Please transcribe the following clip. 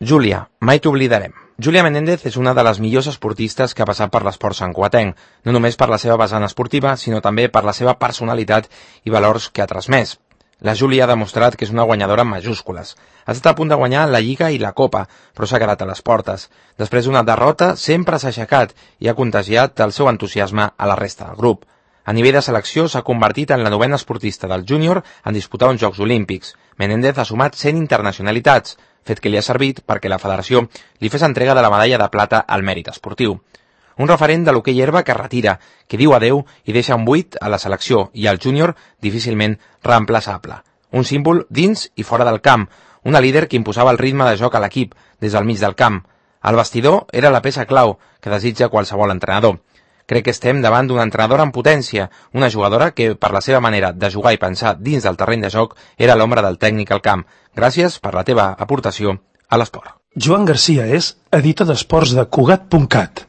Júlia, mai t'oblidarem. Júlia Menéndez és una de les millors esportistes que ha passat per l'esport santcugatenc, no només per la seva vessant esportiva, sinó també per la seva personalitat i valors que ha transmès. La Júlia ha demostrat que és una guanyadora en majúscules. Ha estat a punt de guanyar la Lliga i la Copa, però s'ha quedat a les portes. Després d'una derrota, sempre s'ha aixecat i ha contagiat el seu entusiasme a la resta del grup. A nivell de selecció s'ha convertit en la 9a esportista del júnior en disputar uns Jocs Olímpics. Menéndez ha sumat 100 internacionalitats, fet que li ha servit perquè la federació li fes entrega de la medalla de plata al mèrit esportiu. Un referent de l'hoquei herba que retira, que diu adeu i deixa un buit a la selecció i al júnior difícilment reemplaçable. Un símbol dins i fora del camp, una líder que imposava el ritme de joc a l'equip des del mig del camp. El vestidor era la peça clau que desitja qualsevol entrenador. Crec que estem davant d'una entrenadora en potència, una jugadora que, per la seva manera de jugar i pensar dins del terreny de joc, era l'ombra del tècnic al camp. Gràcies per la teva aportació a l'esport. Joan Garcia és editor d'esports de Cugat.cat.